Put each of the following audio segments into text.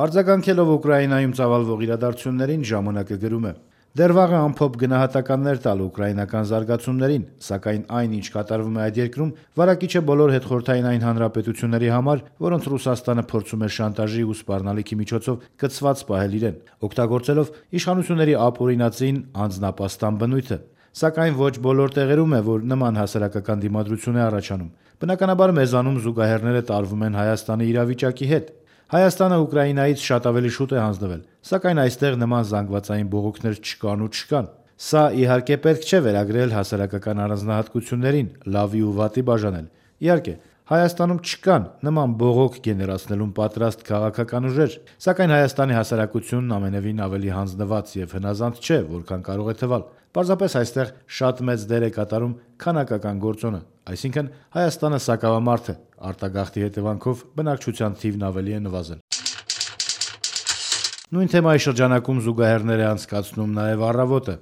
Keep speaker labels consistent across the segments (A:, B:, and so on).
A: Արձագանքելով Ուկրաինայում ծավալվող իրադարձություններին ժամանակը գրում է. «Դեռ վաղ է ամփոփ գնահատականներ տալ ուկրաինական զարգացումներին, սակայն այն, ինչ կատարվում է այդ երկրում, վարակիչ է բոլոր հետխորհրդային այն հանրապետությունների համար, որոնց Ռուսաստանը փորձում է շանտաժի ու սպառնալիքի միջոցով կցված պահել իրեն, օգտագործելով իշխանությունների ապօրինածին անձնապաստան բնույթը։ Սակայն ոչ բոլոր տեղերում է, որ նման հասարակական դիմադրություն է առաջանում։ Բնականաբար մեզանում զուգահեռները տարվում են Հայաստանի իրավիճակի հետ։ Հայաստանը Ուկրաինայից շատ ավելի շուտ է հանձնվել, սակայն այստեղ նման զանգվածային բողոքներ չկան ու չկան։ Սա իհարկե պետք չէ վերագրել հասարակական առանձնահատկություններին, լավի ու վատի բաժանել։ Իհարկե, Հայաստանում չկան նման բողոք գեներացնելուն պատրաստ քաղաքական ուժեր, սակայն Հայաստանի հասարակությունն ամենևին ավելի հանձնված եւ հնազանդ չէ, որքան կարող է թվալ։ Պարզապես այստեղ շատ մեծ դեր է կատարում քանակական գործոնը, այսինքն Հայաստանը սակավամարդ է, արտագաղթի հետևանքով բնակչության թիվն ավելի է նվազել»։ Նույն թեմայի շրջանակում զուգահեռներ է անցկացնում նաև Առավոտը։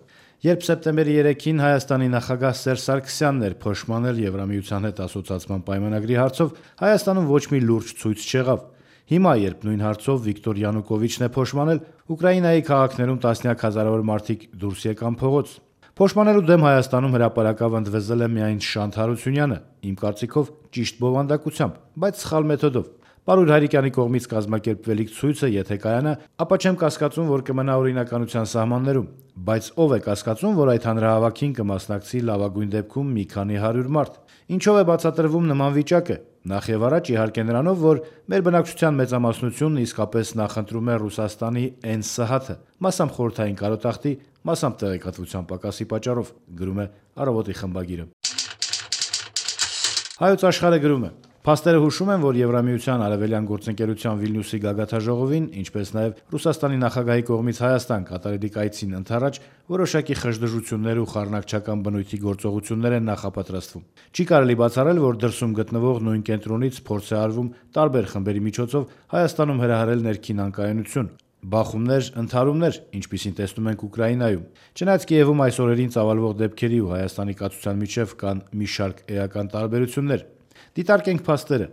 A: Երբ սեպտեմբերի 3-ին Հայաստանի նախագահ Սերժ Սարգսյանն էր փոշմանել Եվրամիության հետ ասոցիացման պայմանագրի հարցով, Հայաստանում ոչ մի լուրջ ցույց չեղավ։ Հիմա, երբ նույն հարցով Վիկտոր Յանուկովիչն է փոշմանել, Ուկրաինայի քաղաքներում տասնյակ հազարավոր մարդիկ դուրս եկան փողոց։ Փոշմանելու դեմ Հայաստանում հրապարակավ ընդվզել է միայն Շանթ Հարությունյանը, իմ կարծիքով ճիշտ բովանդակությամբ, բայց սխալ մեթոդով։ Պարույր Հայրիկյանի կողմից կազմակերպվելիք ցույցը եթե կայանա, ապա չեմ կասկածում, որ կմնա օրինականության սահմաններում, բայց ով է կասկածում, որ այդ հանրահավաքին կմասնակցի լավագույն դեպքում մի քանի հարյուր մարդ։ Ինչով է բացատրվում նման վիճակը։ Նախ եւ առաջ իհարկե նրանով, որ մեր բնակչության մեծամասնությունն իսկապես նախընտրում է Ռուսաստանի ԵՆՍՀԱԹ-ը, մասամբ խորհրդային կարոտախտի, մասամբ տեղեկատվության պակասի պատճառով, գրում է Առավոտի խմբագիրը։ Հայոց Աշխարհը գրում է. «Փաստերը հուշում են, որ Եվրամիության արևելյան գործընկերության Վիլնյուսի գագաթաժողովին, ինչպես նաև Ռուսաստանի նախագահի կողմից Հայաստան կատարելիք այցին ընդառաջ որոշակի խժդժություններ ու խառնակչական բնույթի գործողություններ են նախապատրաստվում։ Չի կարելի բացառել, որ դրսում գտնվող նույն կենտրոնից փորձ է արվում տարբեր խմբերի միջոցով Հայաստանում հրահրել ներքին անկայունություն, բախումներ, ընդհարումներ, ինչպիսին տեսնում ենք Ուկրաինայում։ Չնայած Կիևում այս օրերին ծավալվող դեպքերի ու Հայաստանի կացության միջև կան մի շարք էական տարբերություններ։ Դիտարկենք փաստերը։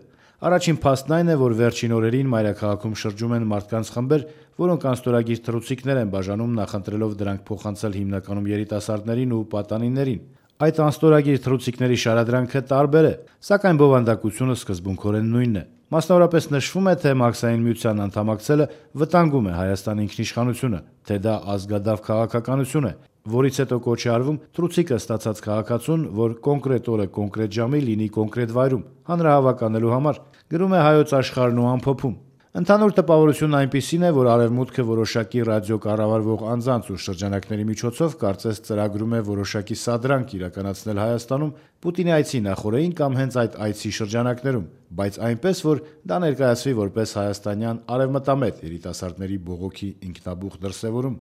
A: Առաջին փաստն այն է, որ վերջին օրերին մայրաքաղաքում շրջում են մարդկանց խմբեր, որոնք անստորագիր թռուցիկներ են բաժանում, նախընտրելով դրանք փոխանցել հիմնականում երիտասարդներին ու պատանիներին։ Այդ անստորագիր թռուցիկների շարադրանքը տարբեր է, սակայն բովանդակությունը սկզբունքորեն նույնն է։ Մասնավորապես նշվում է, թե Մաքսային միության անդամակցելը վտանգում է Հայաստանի ինքնիշխանությունը, թե դա ազգադավ քաղաքականություն է, որից հետո կոչ է արվում թռուցիկը ստացած քաղաքացուն, որ կոնկրետ օրը կոնկրետ ժամի լինի կոնկրետ վայրում, հանրահավաք անելու համար, գրում է Հայոց Աշխարհն ու ամփոփում։ Ընդհանուր տպավորությունն այնպիսին է, որ Արևմուտքը որոշակի ռադիո կառավարվող անձանց ու շրջանակների միջոցով կարծես ծրագրում է որոշակի սադրանք իրականացնել Հայաստանում Պուտինի այցի նախօրեին կամ հենց այդ այցի շրջանակներում, բայց այնպես, որ դա ներկայացվի որպես հայաստանյան արևմտամետ երիտասարդների բողոքի ինքնաբուխ դրսևորում։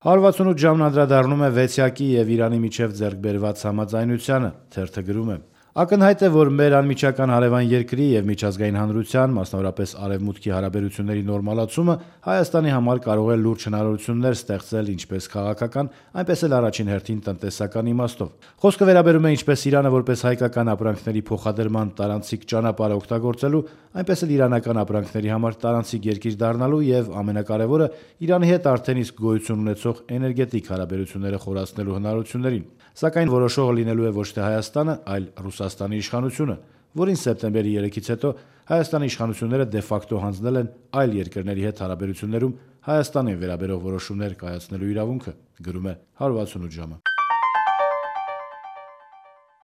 A: 168 ժամն անդրադառնում է Վեցյակի եւ Իրանի միջև ձեռք բերված համաձայնությանը, թերթը գրում է. «Ակնհայտ է, որ մեր անմիջական հարևան երկրի եւ միջազգային հանրության, մասնավորապես Արևմուտքի հարաբերությունների նորմալացումը Հայաստանի համար կարող է լուրջ հնարավորություններ ստեղծել ինչպես քաղաքական, այնպես էլ առաջին հերթին տնտեսական իմաստով։ Խոսքը վերաբերում է ինչպես Իրանը որպես հայկական ապրանքների փոխադրման տարանցիկ ճանապարհ օգտագործելու, այնպես էլ իրանական ապրանքների համար տարանցիկ երկիր դառնալու եւ ամենակարևորը Իրանի հետ արդեն իսկ գոյություն ունեցող էներգետիկ հարաբերությունները խորացնելու հնարավորություններին։ Սակայն որոշողը լինելու է ոչ թե Հայաստանը, այլ Ռուսաստանի իշխանությունը, որին սեպտեմբերի 3-ից հետո Հայաստանի իշխանությունները դե ֆակտո հանձնել են այլ երկրների հետ հարաբերություններում Հայաստանին վերաբերող որոշումներ կայացնելու իրավունքը», գրում է 168 ժամը։